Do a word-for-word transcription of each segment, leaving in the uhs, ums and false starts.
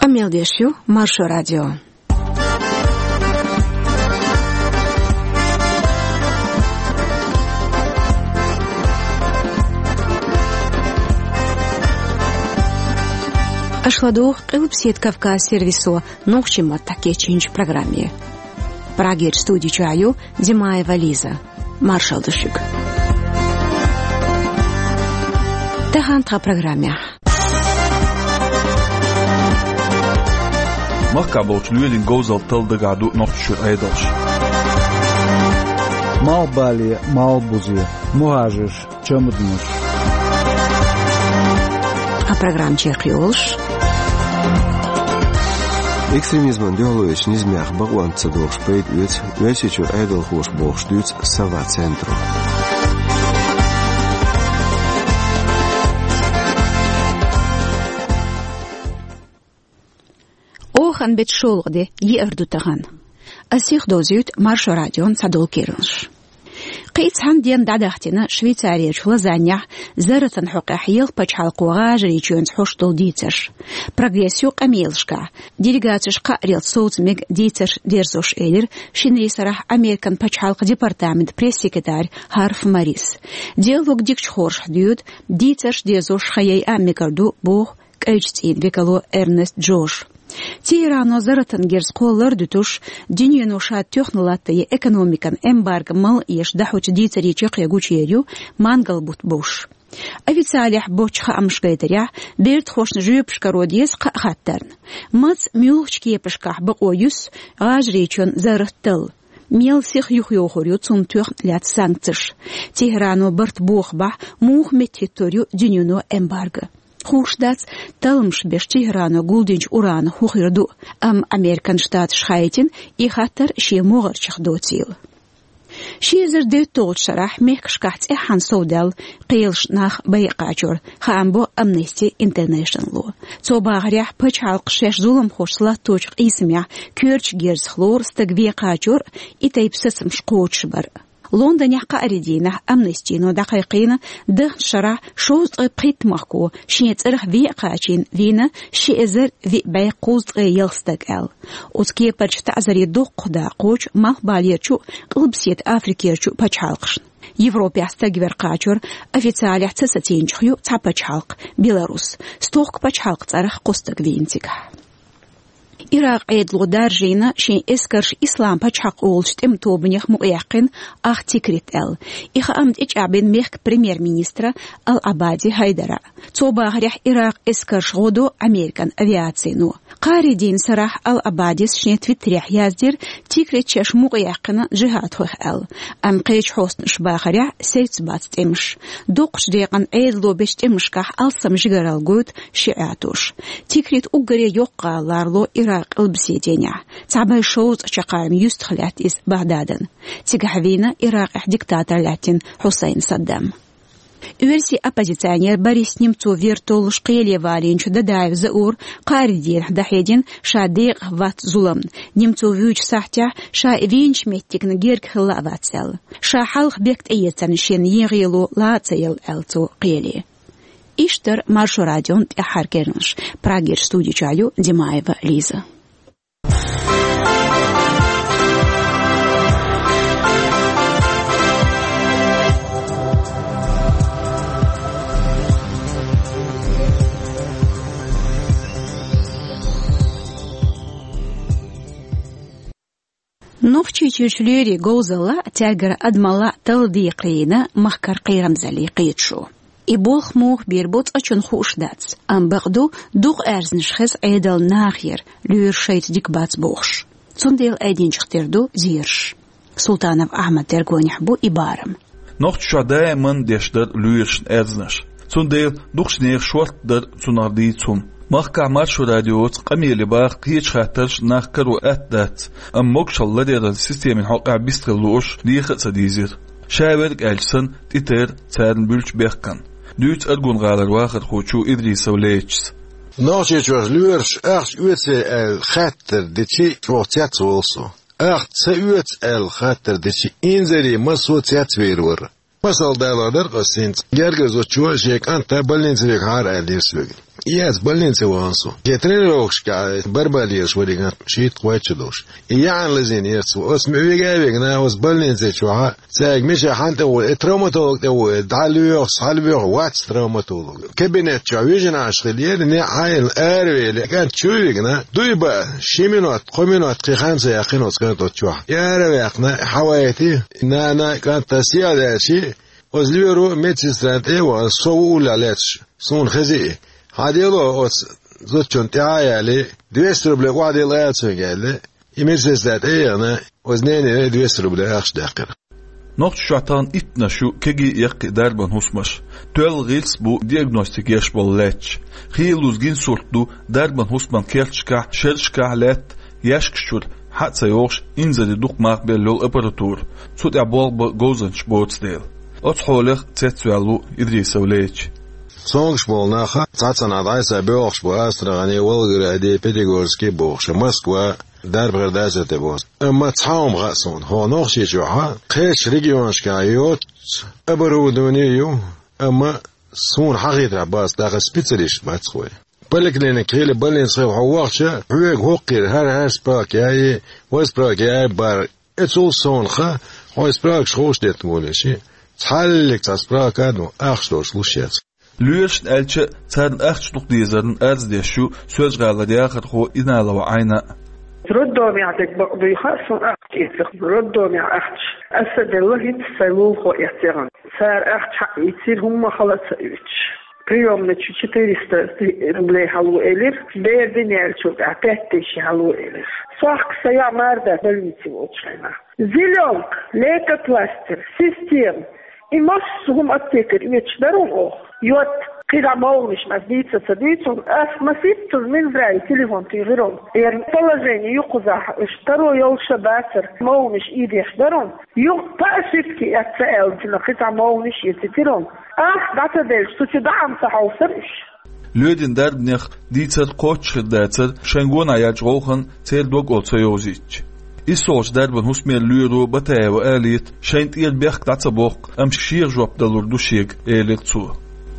Къамел деш ю Маршо радио. Аша ладугӀу Къилбаседа Кавказ сервисо нохчийн маттахь кечйинчу программе. Прагерчу студи чохь ю Димаева Лиза. Маршалла ду шуьга. Тахана тхан программехь. Махкахь болчу лоьрийн говзалла талла дагахь ду Нохчийчуьра Ӏедалш. Малхбале, малхбузе, мухӀажарш, чамаданаш. А программа чекхйолуш. Экстремизмана дуьхьало йечу низамех бакъонца ца догӀуш пайда оьцу Оьрсийчуьра Ӏедалхоша бохуш дуьйцу Сова центро. Охан беттан шолгӀа де, еара ду тахана. Ас сиха довзуьйту Маршо радион цхьадолу керланаш. Кхин а цхьана денна дӀадахтина Швейцарерчу Лозаннехь Зарратан хьокъехь Ялх пачхьалкхо ГӀажарийчоьнца хьош долу дийцарш. Прогресс ю къамелашкахь. Делегацеш кхааралц совца мега дийцарш дерзош, элира шинарин сарахь Американ пачхьалкхан департаментан пресс-секретарь Харф Марис. Диалог дикачу хоршахь доьду, дийцарш дерзош хан яйа а мегар ду, боху кӀайчу цӀийнан векало Эрнест Джош. Тегерано Зарратан герз кхоллар а дуьтуш, дуьнено ша тоьхна латта я экономикан эмбарго мала эша дӀахьочу дийцарийн чаккхе гучуер ю мангал бутт бовш. Официалехь боцчу хаамаша гайтарехь, бертахошна жоьпаш каро деза кхаа хаттарна. Маца, муьлхачу кепашкахь бакъо юьсу ГӀажарийчоьнан Заррат талла? Мел сиха юхайохур ю цунна тоьхна лаьцна санкцеш? Тегерано барт бохабахь, муха меттахӀиттор ю дуьнено эмбарго? Хууш дац, талламаш беш Тегерано гулдинчу уранах хӀун хир ду, амма Американ Штаташ хаийтина и хаттар шен могӀарчех доцийла. Ши эзар дейтталгӀачу шарахь мехкашкахь цӀеххьана совдаьлла кхелаш нах байа кхачор, хаам бо Amnesty International-о. Цо бахарехь, пачхьалкхаш шаьш зуламхошца латточу къийсамехь коьртачу герзах лору стаг вен кхачор а, и тайпа сацамаш кхочушбар а. Лондонехь кхаарин дийнахь Amnesty-но дӀакхайкхийна, дахначу шарахь шовзткъе пхийтта махко шен цӀарах вен а кхачийна вийна ши эзар виъ бӀе кхузткъе ялх стаг аьлла. Оцу кепарчу таӀзарийн доккхах да кхочу Малхбалерчу а, Къилбаседа Африкерчу а пачхьалкхашна. Европехь стаг вер кхачор официалехь ца сацийначух ю цхьа пачхьалкх, Беларус. Стохка пачхьалкхан цӀарах кхо стаг вийна цигахь. Иракъан Ӏедало даржийна шен эскарш Ислам пачхьалкх олучу тӀеман тобанех мукъаяьккхина ах Тикрит аьлла. И хаам тӀечӀагӀбина мехкан премьер-министра Ал-Ӏабади Хайдара. Цо бахарехь, Иракъан эскарш гӀо до Американ авиацино. Кхаарин дийнан сарахь Ал-Ӏабадис шен твиттерехь яздира, Тикрит шаьш мукъаяьккхина джихӀадхойх аьлла. Амма кхечу хьостанаша бахарехь, севцабац тӀемаш. Доккхачу декъана Ӏедало бечу тӀемашкахь алсам жигаралла гойту шиӀатоша. Тикрит уггаре йоккха гӀала лоруш ю Иракъан къилбаседенехь. Цхьа бӀе шовзткъа чаккхарма юьстах лаьтта иза Багьдадана. Цигахь вийна Иракъехь диктатор лаьттина Хьусайн Саддам. Оьрсийн оппозиционер Борис Немцов вер толлуш кхеле валийначу Дадаев Заура кхаарин дийнахь дӀахьедина ша декъахь вац зуламна. Немцов вуьйчу сахьтехь ша и вийначу меттигна герга хилла а вац аьлла. Ша хьалха бехк тӀеэцарна шена ен гӀело ла а ца елла аьлла цо кхеле. Иштта дара Маршо радион тӀаьххьара керланаш. Прагерчу студи чохь ю Димаева Лиза. Нохчийчуьрчу лоьрийн говзалла а, цаьргара адамалла а талла декхарийна махкара кхерамзаллин кхеташо. И болх муха бийр бу цкъачунна хууш дац, амма бакъ ду, дукха аьрзнаш хеза Ӏедална нахера, лоьраш шайца дика бац бохуш. Цундела айдинчух тера ду зераш. Султанов Ахьмадан тергонехь бу и барам. Нохчийчохь даиман деш дара лоьрашна аьрзнаш. Цундела дукхачу нехан шортта дара цунах дийца хӀума. Махкахь Маршо радиоца къамеле баха кхечу хаттарш нах каро атта дац, амма могушалла ларъяран системин хьокъехь бистхила лууш леха а ца дийзира. Ша верг аьлча санна, тӀетера царна буьллучу бехкана. Дуьйцу Аргун-гӀалара вахархочо Идрисов Лейтас. Нохчийчохь лоьраш ахча оьций аьлла хаттар дичи чӀогӀа цецволу со. Ахча ца оьцу аьлла хаттар дичи инзаре массо а цецвийр вара. Масал далор дара ас хӀинца. Гергара зудчо шен кӀанта больнице вигахьара аьллера соьга. Яц больнице вахана со. Ке тренировкашка барбалеш вариган шийтта кхойтта долуш. И яхьан лазийна яц. Оцу вега а вегна, оцу больнице чохьа, цаьрга мича хьан тӀе ву, э, травматолог тӀе ву, э, дӀа лоьху, схьа лоьху, вац травматолог. Кабинет чохь вижина Ӏаш хила ера, не Ӏайла аравели, кӀант чу вигна, дуй баа, ши минот, кхо минот кхин хан ца яьккхина оцу кӀант оцу чохь. И ара ваьккхина, хьавайти, нана, кӀант, ас ял яьлчи, оцу лоьро медсестран тӀе а вахана, со ву уллехь лаьтташ, суна хези и. Хьан дело оцу зудчунна тӀаьхьа а яьлли, двести рублей охьадилла ала цуьнга аьлла, и медсестра тӀе а яхана, оцу ненера двести рублей ахча даьккхира. Нохчийчохь тахана иттанаш ю кегий а яккхий а дарбан хӀусамаш. Тоьлла гӀирс бу диагностика еш болу лаьтташ. Хийлазза гина сурт ду дарбан хӀусаман керташкахь, шерашкахь лаьтта яьшкаш чуьра хьа а ца йогӀуш, инзаре дукха мах белла йолу аппаратура. Цу тӀехь болх бан говзанчаш боцу дела. Оцу хьолах цецваьлла ву Идрисов Лейча. Цомгуш болу нах цхьацца нах дӀасса боьлхуш бу Астрахани, Волгогради, Пятигорски бохуш, Москва, Дарбхер дацар тӀе бохуш. Амма цхьа хӀума хаьа суна, хӀокху Нохчийчохь кхечу регионашкахь йоццу оборудование ю, амма суна хьахийтарехь бац, даха специалист бац хӀой. Поликлиника хила, больница хила хьо вахча, хьоьга хӀокхуьра хӀара-хӀара справка яй, вай справка яй бар. Эцул сонах хьо и справкаш хууш детта волуш, цхьаллиг цхьа справка а ду, ахча долуш луш яц. Лоьрашна аьлча, царна ахча дукха дезарна арз деш ю Соьлжа-ГӀалара яхархо Иналова Ӏайна а. Роддомехь дерг бакъ дуй хаьа суна ахча эцарх, роддомехь ахча. Аса делла хӀинца сайн лулахо эцна. Цара ахча хьаийцира хӀумма хала а ца оьцуш. Приёмный чу четыреста рублей хьало элира, бер дина яьллачул тӀаьхьа пять тысяч хьало элира. Сохка сан яӀ мара дац больнице волчу хенахь. Зелёнка, лейкопластырь, система. И массо а хӀума аптекера оьцуш дара хьуна оха. Йод, кхидӀа могӀанаш ас дийца ца дуьйцу хьуна, ас маситтаза Минздраве телефон тӀе йигӀира хьуна. Яра положение ю кхузахь, уьш таро йолуш а бацара, могӀанаш ийдеш дара хьуна. Юха по ошибке эцна аьлла, цуьнан кхин цхьа могӀанаш эцийтира хьуна. Ахча дӀа ца делча, цу чу даӀам ца хьовсара уьш. Лоьдина дарбанех дийцар кхоччуш хир дацара, шайн гонах яьллачу гӀовханна церан дог олу ца йовзийтича. ИссолгӀачу дарбан хӀусамера лоьро Батаева Алита шайна тӀера бехк дӀа ца боккху, амма шеха жоп далур ду шега, элира цо.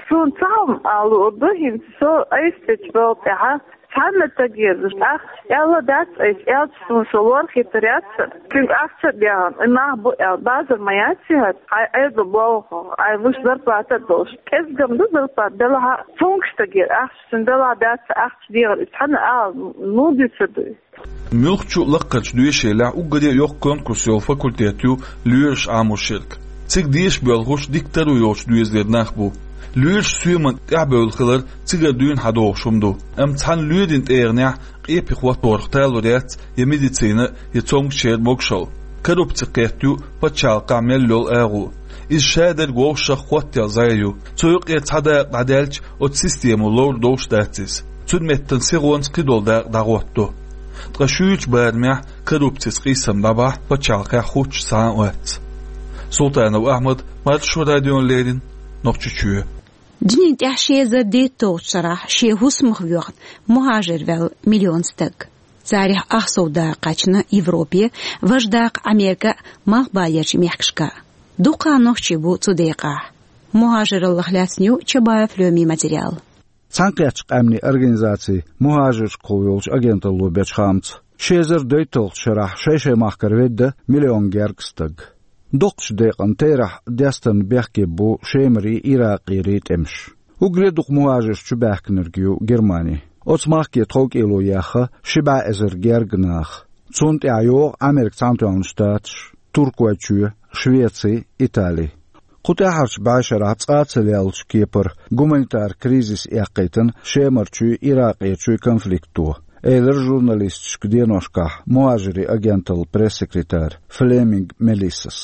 Суна цхьа хӀума ала луур ду хӀинца, со айса тӀечу балха тӀехь цхьанна стагера ахча аьлла дац айса, аьлча суна сан лор хетар яц. Цуьнга ахча а дехна, и нах бу аьлла, базар ма яц и хӀара, хьайн айса болх, хьайн луш зарплата а долуш. КӀезиг-м ду зарплата делахь а, цуьнга стагера ахча, цуьнан делахь дац ахча дехар, и цхьанна ала, ну, дуьйцур ду и. Муьлххачу лаккхарчу доьшийлехь уггаре а йоккха конкурс йолу факультет ю лоьраш Ӏамош ерг. Цига деша боьлхуш дика таро йолчу доьзалера нах бу. Лоьраш соьман тӀаьхьабевлла хилар цигара дуьйна хьадогӀуш хӀума ду. Амма цхьана лоьрийн тӀегӀанехь къепе хӀотторах талур яц я медицина, я цомгушчеран могушалла. Коррупци кхетта ю пачхьалкхехь мел йолу агӀо. Иза шадерг вовшах хӀоттаелла зӀе ю. Цу юкъера цхьа дакъа дӀадаьлча, оцу системо ловр долуш дац иза. Цуьнан меттана сихонца кхидолу дакъа дӀахӀоттадо. Ткъа шуьйрачу барамехь коррупцица къийсам дӀабахь пачхьалкхехь хӀуттуш цхьа а вац. Султанов Ахьмад, Маршо радиона леррина, Нохчийчоь. Дуьнен тӀехь ши эзар дейтталгӀачу шарахь шен хӀусамах воьхна мухӀажир ваьлла миллион стаг. Царех ах сов дакъа кхаьчна Европе, важа дакъа Америка а, Малхбалерчу мехкашка а. Дукха нохчий бу цу декъахь. МухӀажираллах лаьцна ю Чабаев Лоьмин материал. Цхьаьнакхеттачу къаьмнийн организацин мухӀажиршкахула йолчу агенталло бечу хаамца, ши эзар дейтталгӀачу шарахь шай-шай махкара ведда миллион гергга стаг. Доккхачу декъан терахь дестарна бехке бу Шемарий, Иракъерий тӀемаш. Уггаре а дукха мухӀажирш чубаьхкинарг ю Германи. Оцу махке тховкӀело ехна ши бӀе эзар гергга нах. Цунна тӀехь йогӀу Америкин Цхьаьнатоьхна Штаташ, Туркойчоь, Швеци, Итали. Кху тӀаьхьарчу бӀешарахь цкъа а ца леллачу кепара гуманитар кризис эккхийтина Шемарчуй, Иракъерчуй конфликто, элира журналисташка деношкахь мухӀажирийн агенталлан пресс-секретарь Флеминг Мелиссас.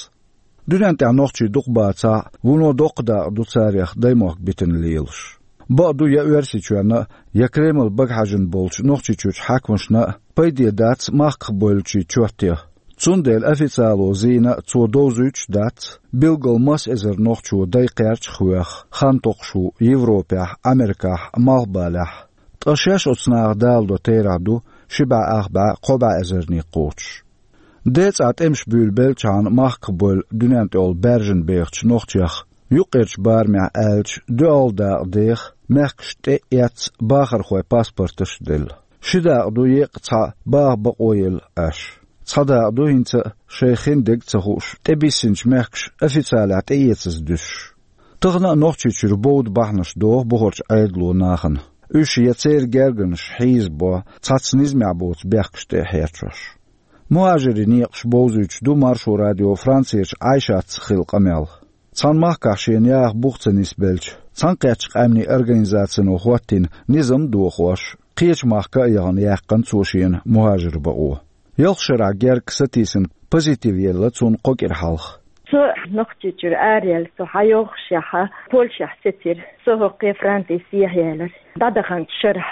Дуьнен тӀехь нохчий дукха бацахь а, вуно доккха дакъа ду царех даймохк битина лелаш. Бакъду, я Оьрсийчоьнна а, я Кремль багахьаьжна болчу Нохчийчуьрчу хьаькамашна а пайде дац махках бевллачийн чот ян. Цундела официало зийна а цо довзуьйтуш а дац, билггал масса эзар нохчо дай кхерчах а веха, хан токхуш ву Европехь, Америкахь, Малхбалехь. Ткъа шаьш оцу наха даладо терахь ду ши бӀе ах бӀе, кхо бӀе эзарний кхочуш. Ден цӀахь тӀемаш буьйлабеллачхьана махках бевлла дуьнен тӀехула баьржина бехачу нохчех, юккъерчу барамехь аьлча, доьалгӀа дакъа деха, Мехкаш тӀе а эцна бахархой паспорташ а делла. Ши дакъа ду еккъа цхьа баха бакъо елла Ӏаш. Цхьа дакъа ду хӀинца а шайх хин дег а ца хууш, тӀебиссинчу мехкаша официалехь тӀеэцаза дуьсуш. Тахана а Нохчийчуьра бовда бахьанаш доху бухарчу Ӏедало нахана. Уьш я церан гергарнаш хьийзабо цхьацца низамехь боцу бехкаш тӀе а хьерчош. Мухажирийн некъаш бовзуьйтуш ду Маршо радио Францерчу Ӏайшатца хилла къамел. Цхьана махкахь шена яха бух ца нисбелча, Цхьаьнакхеттачу Къаьмнийн Организацино хӀоттийна низам а дохош, кхечу махка а яхана яьккхина цо шена мухажир бакъо. Ялх шарахь герга сатийсина позитив елла цунна кхо кӀира хьалха. Со Нохчийчуьра араяьлла, со хьайогӀушехь, Польшехь сецира. Со хӀокхе Франце сехьаялира дӀадаханчу шарахь.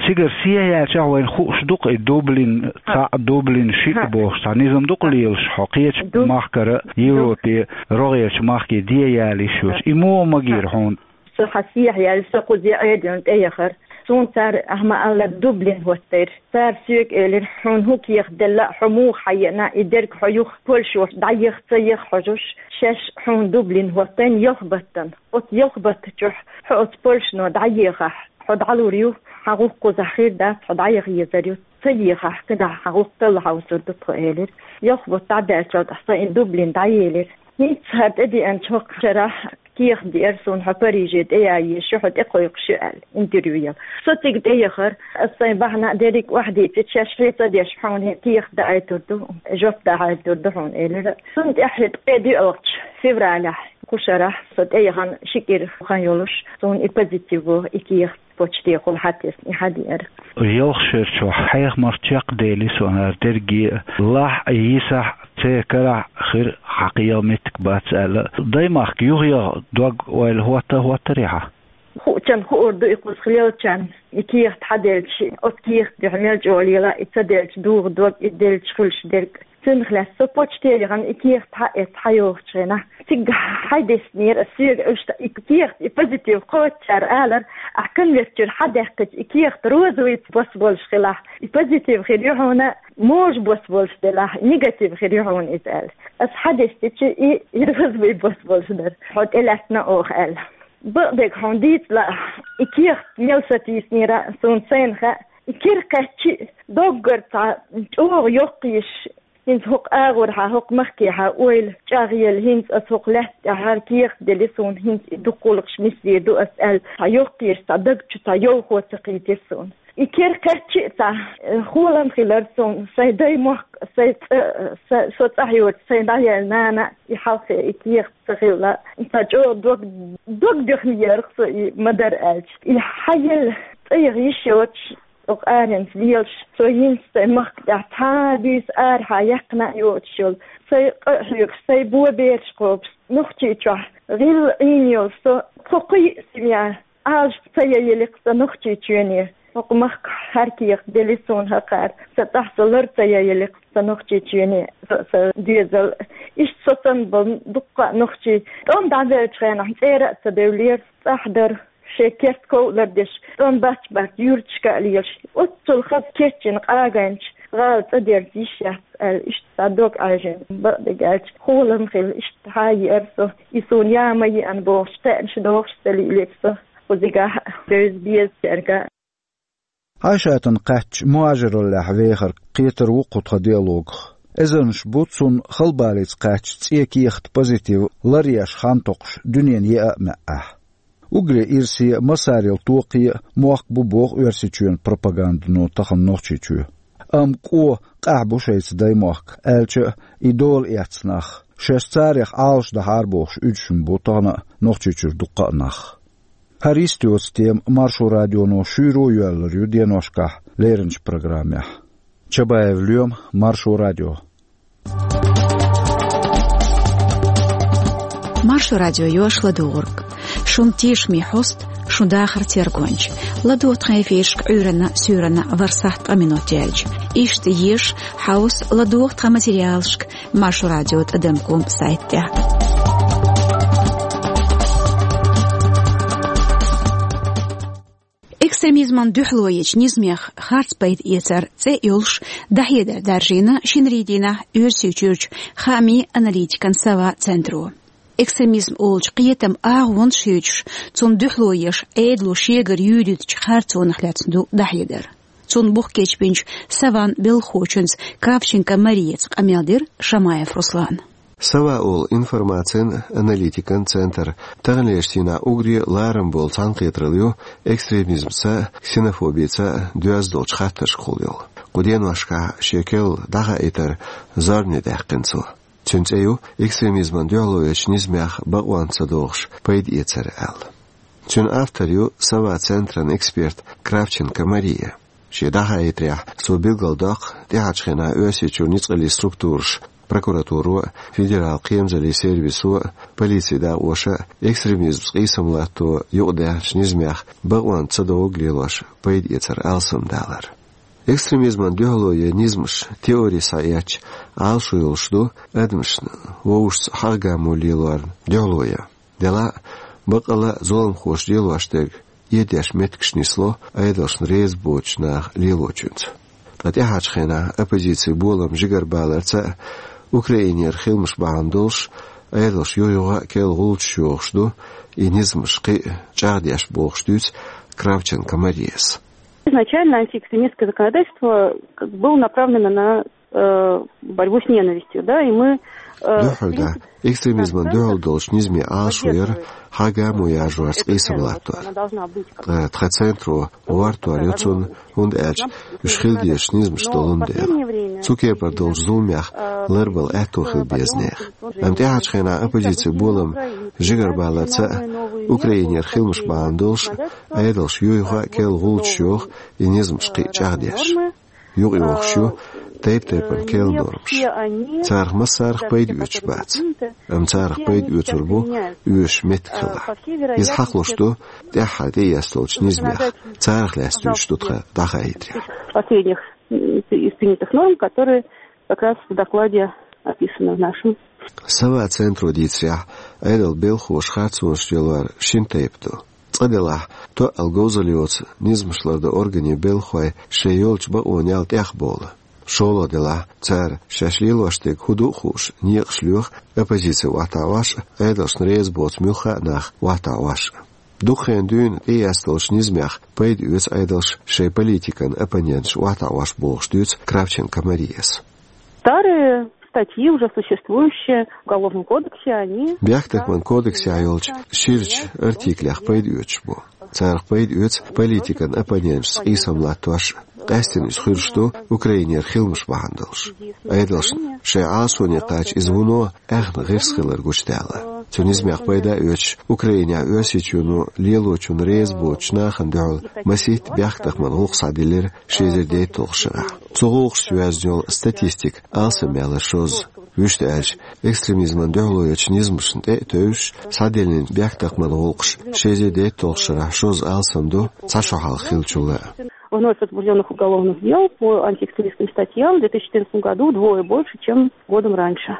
Цигара сехьаяьлчахь вайна хууш ду-кх и Дублин цхьаъ, Дублин шиъ бохуш цхьа низам ду-кх лелаш хьо кхечу махкара, Европе, рогӀерчу махке де яла йиш йоцуш. И муха магийра хьуна? Со хьан сехьаяьлла, со кхуза Ӏедална тӀе яхара. Суна цара, ахьа ма-аллара, Дублин хӀоттайра. Цара соьга элира: «Хьуна хӀун кехат делла а, хьо муха хьаеана, и дерг хьо юха Польшо дӀаеха ца еха хьожуш, шаьш хьуна Дублин хӀоттайна ялх баттана. Оцу ялх батта чохь хьо оцу Польшано дӀаехахь, хьо дӀалур ю, хьан гӀуллакх кхузахь хир дац, хьо дӀаяха езар ю. Ца ехахь, кхидӀа хьан гӀуллакх талла хьовсур ду тхо», — элира. Ялх бутт дӀадаьллачул тӀаьхьа со и Дублин дӀаелира. ХӀинца хӀара тӀедеанчу хӀокху шарахь кехат деара суна: «Хьо Париже тӀеяйеш ю, хьо тӀекхойкхуш ю», — аьлла, интервью яла. Со цига тӀе яхара, аса сайн бахьана а дерриг а охьадийцича, шаьш хье ца деш, хьуна хӀинца кехат даийтур ду, жоп дахьийтур ду хьуна, элира. Цунна тӀаьхьа ткъе доьалгӀачу февралехь, кху шарахь, со тӀе яхана ши кӀира хан йолуш, суна и позитив ву, и кехат почтехула хьатесна, и хьадеара. Ялх шарчохь хьехамах чекхдели со хӀара дерриге а, лахь а, йисахь а, церан карахь а хир хьан кхин меттиг бац аьлла. Даймахка юхаяха дог ойла хӀотта а хӀоттарий хьан? Хуучарна хуур ду и кхуза хилелчарна, и кехат хьаделча, оцу кехатан дуьхьа мел чӀогӀа лела, и ца делча дугӀу дог, и делча хуьлуш дерг. Цунах лаьцна со почте яхана и кехат хьаэцна хьайогӀучу хенахь, цига хьайдеснера ас соьга, уьш и кехат, и позитив кхоччара алара: «Ахь конверт чуьра хьадаьккхича, и кехат розовый бос болуш хилахь, и позитив хир ю хьуна, можа бос болуш делахь, негатив хир ю хьуна иза», — аьлла. Ас хьадестича, и, и розовый бос болуш дара. «Хьо тӀелаьцна оха», — аьлла. Бакъдерг хьуна дийца лаахь, и кехат мел сатийснера суна сайна хаьа, и кира кхаьччи а, доггара цхьа чӀогӀа йоккхаеш, хӀинца хӀокху агӀорхьа, хӀокху махкехьа ойла чӀагӀъелла, хӀинца аса хӀокху лаьтта тӀехь хӀара кехат делла суна, хӀинца и дукха гӀуллакхаш нисдийр ду ас аьлла, цхьа йоккхаеш, цхьа даг чу цхьа йовхо ца кхийтира суна. И кира кхаьччи а цхьа, э, холам хилар суна, сайн даймохк, сайн цӀа, са-, со цӀахь йоцу сайн дӀаяьлла нана, и хьалхе и кехат ца хилла, цхьа чӀогӀа дог, дог дуьхна еара со и ма-дарра аьлча. И хьаелла цӀа яха йиш йоцуш, оха аренца лелаш, со йинца сайн махка тӀехь цхьа а буьйса арахьа яьккхина а йоцуш йолу, сайн къа а хьоьгуш, сайн бо бераш кхобуш, Нохчийчохь гӀилла Ӏийна йолу со, тхо кхин а семья, Ӏалашба ца яйилира сан Нохчийчоьне. ХӀокху махкахь хӀара кехат делла суна хӀокхара. Сан цӀахь со лар ца яйилира сан Нохчийчоьне, сан, сан доьзал. Иштта со санна болу дуккха а нохчий. ТӀом дӀабеллачу хенахь цӀера а ца девллера, цӀахь дара. Шайн керт ков а лардеш, тӀом бац-бац юьрташка а лелаш. Оццул хаза кечйина къагайначу гӀала цӀа дерза йиш яц аьлла, иштта цхьа дог Ӏаьржина, бакъдерг аьлча, холам хилла, иштта хьа а еара со. И суна я ма еана бохуш, кхаьънаш дохуш ца лийлира со. Кхузигахь а, бевза беза цаьрга а. Ӏайшатана кхаьчча, мухӀажираллехь вехар кхетар ву кху тхан диалогах. Эзарнаш бу цунна халбаллица кхаьчча цӀе кехат позитив ларъеш хан токхуш дуьненан еа а маьӀӀехь. Уггаре ирсе а, массарел токхе а мохк бу боху Оьрсийчоьнан пропагандано тахана Нохчийчоь. Амма кӀо, къаьхьа бу шайца даймохк, аьлча а, и дола эцна нах, шаьш царех Ӏалашдахьара бохуш уьдуш ма бу тахана а Нохчийчуьра дуккха а нах. ХӀара йист йоцу тема Маршо радионо шуьйра а йоьллур ю деношкахь леринчу программехь. Чабаев Лоьма, Маршо радио. Маршо радио йош ладугӀург. Шун тешаме хьост, шун дахар тергонча. ЛадугӀа тхан эфиршка Ӏуьйранна, суьйранна ворхӀ сахьт ткъа минот яьлча. Иштта еша, хьовса, ладугӀа тхан материалшка Маршо радио тӀадам ком сайтехь. Экстремизман дуьхьало ечу низамех харц пайда эцар цӀе а йолуш, дӀахьедар даржийна шинарин дийнахь Оьрсийчуьрчу хаамийн аналитикан Сова центро. Экстремизм олучу кхетам агӀонаш хьоьжуш, цунна дуьхьало еш, Ӏедало шегара юьйритчу харцонах лаьцна ду дӀахьедар. Цунна бух кечбинчу Саван белхахочуьнца Кравченко Марияца къамел дира Шамаев Руслана. Сава олу информацин аналитикан центр таханлерчу дийнахь уггаре ларам болу цхьаьнакхетаралла ю экстремизмца, ксенофобица доьзна долчу хаттаршкахула йолу. Кху деношкахь шен керла дӀахаийтар зорбане даьккхина цо. Цуьнан цӀе ю экстремизмана дуьхьало йечу низамех бакъонца ца догӀуш пайда эцар аьлла. Цуьнан автор ю Сава центран эксперт Кравченко Мария. Шен дӀахаийтарехь, цо билгалдоккху тӀаьхьарчу хенахь Оьрсийчуьра ницкъаллийн структураш, прокуратуро, федерал кхерамзаллин сервисо, полицин дакъоша экстремизмца къийсам латто юкъадаьхначу низамех бакъонца ца догӀург лелош пайда эцар алсамдалар. Экстремизмана дуьхьало йен низамаш теори схьаэцча, Ӏалашо йолуш ду адамашна вовшашца хьагӀ-гамо лелорна дуьхьало ян. Делахь а, баккъалла а зуламхоша лелош дерг эдеш меттигаш нисло Ӏедалшна реза боцучу наха лелочуьнца. Ткъа тӀаьхьарчу хенахь оппозицин болам жигарабаларца а, Украинера хиламаш бахьана долуш, Ӏедалш юх-юха а керла гӀулчаш йохуш ду, и низамаш кхин а чӀагӀдеш, бохуш дуьйцу Кравченко Марияс. Изначально антиэкстремистское законодательство как бы было направлено на э, борьбу с ненавистью, да, и мы, э, Дуьххьара, да, в принципе, экстремизмана дуьхьал долчу низаман Ӏалашо яра хьагӀ-гамо яржорца къийсам латто. Ткъа тхан центро гӀортор ю цунна, хӀунда аьлча уьш хила дезаш низамаш долун дела. Цу кепара долчу зуламех ларбала аьтто хила беза нехан. Амма тӀаьхьарчу хенахь оппозицин болам жигарабаларца а, Украинера хиламаш бахьана долуш а, Ӏедалш юй-юха а керла гӀулчаш йоху, и низамаш кхин а чӀагӀдеш. Юкъайохуш ю тайп-тайпана керла нормаш. Царах массарах пайда оьцуш бац. Амма царах пайда оьцур бу оьшуш меттиг хилахь. Иза хьахалуш ду тӀаьххьара тӀеэцна долчу низамех, царах лаьцна дуьйцуш ду тхан дӀахаийтарехь. Последних, м, из принятых норм, которые как раз в докладе описаны в нашем. Сава центро дийцарехь, Ӏедалан белхахоша харцонаш лелор шина тайпа ду. Цкъа делахь, тоъал говзалла йоцу низамаш лардан органийн белхахой шайн йолчу бакъонал тӀехбовла. ШолгӀа делахь, цара шаьш лелош дерг хӀун ду а хууш, некъаш лоьху оппозици охьатаӀош а, Ӏедалшна реза боцу муьлхха а нах охьатаӀош а. Дукха хенахь дуьйна тӀеэцна долчу низамех пайда оьцу Ӏедалш шайн политикан оппоненташ охьатаӀош, бохуш дуьйцу Кравченко Марияс. Старые статьи, уже существующие в Уголовном кодексе, они... Бехктакхаман кодексехь йолчу ширачу артиклех пайда оьцуш бу. Царах пайда оьцу политикан оппоненташца къийсам латтош, къаьсттина иза хуьлуш ду Украинера хиламаш бахьана долуш. Ӏедалшна шайн Ӏалашоне кхача иза вуно аьхна гӀирс хилар гучудаьлла. Цу низамех пайда оьцуш, Украинехь Оьрсийчоьно лелочунна реза боцучу нахана дуьхьал масийтта бехктакхаман гӀуллакх схьадиллира ши эзар дейтталгӀачу шарахь. Цу гӀуллакхашца йоьзна йолу статистика алсамъялар шозза. Вуьшта аьлча, экстремизмана дуьхьало йечу низамашна тӀе а тевжаш, схьадиллинчу бехктакхаман гӀуллакхаш ши эзар дейтталгӀачу шарахь шозза алсам ду цхьа шо хьалха хиллачул а. Вновь возбуждённых уголовных дел по антиэкстремистским статьям в две тысячи четырнадцатом году вдвое больше, чем годом раньше.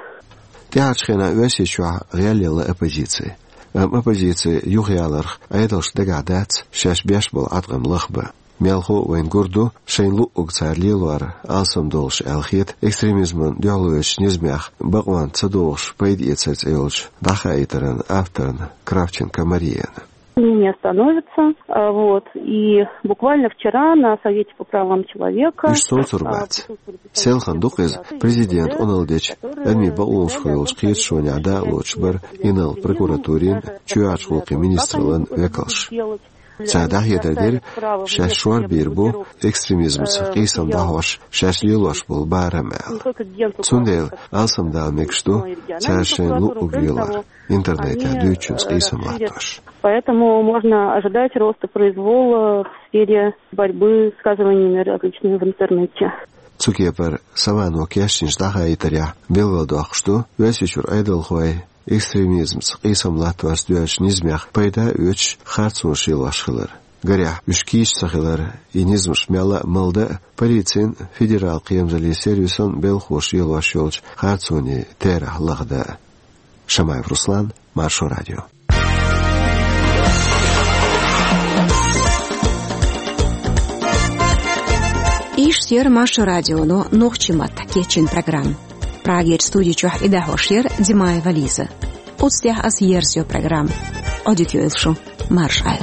ТӀаьхьарчу хенахь Оьрсийчохь гӀелъелла оппозици. Амма оппозици юхаяларх Ӏедалшна дагахь дац шаьш беш болу Ӏаткъам лахбан. Мелхо а вайна гур ду, шайна луъург цара лелор алсам долуш аьлла хета экстремизмана дуьхьало йечу низамех бакъонца ца догӀуш пайда эцар цӀе йолчу дӀахаийтаран авторна Кравченко Марияна. Не остановится, а, вот, и буквально вчера на Совете по правам человека, уьш совцур бац. Селхана дукха иза президентан къуналла дечу адамийн бакъонашкахула йолчу кхеташонехь дакъалоцуш бара инарла прокуратурин, чоьхьарчу гӀуллакхийн министраллин векалш. Цара дӀахьедар дира, шаьш шорбийр бу экстремизмца къийсам дӀахьош шаьш лелош болу барам аьлла. Цундела алсамдала мегаш ду цара шайна луъург лелор, интернетехь дуьйцучуьнца къийсам латтош. Поэтому можно ожидать роста произвола в сфере борьбы с высказываниями различными в интернете. Цу кепара Савано кечйинчу дӀахаийтарехь билгалдоккхуш ду, Оьрсийчуьра Ӏедалхой экстремизмца къийсам латтош доьллачу низамех пайда оьцуш харцонаш лелош хилар. Гарехь, уьш кийча ца хилар, и низамаш мелла а малдан а полицин, федерал кхерамзаллин сервисан белхахоша лелош йолчу харцонийн терахь лахдан а. Шамаев Руслан, Маршо радио. Иштта яра Маршо радионо нохчийн маттахь кечйина программа. Прагерчу студи чохь и дӀахьош яра Димаева Лиза. Куц тяхь ас ерсё программа. Ӏодитё эль шун. Маршал.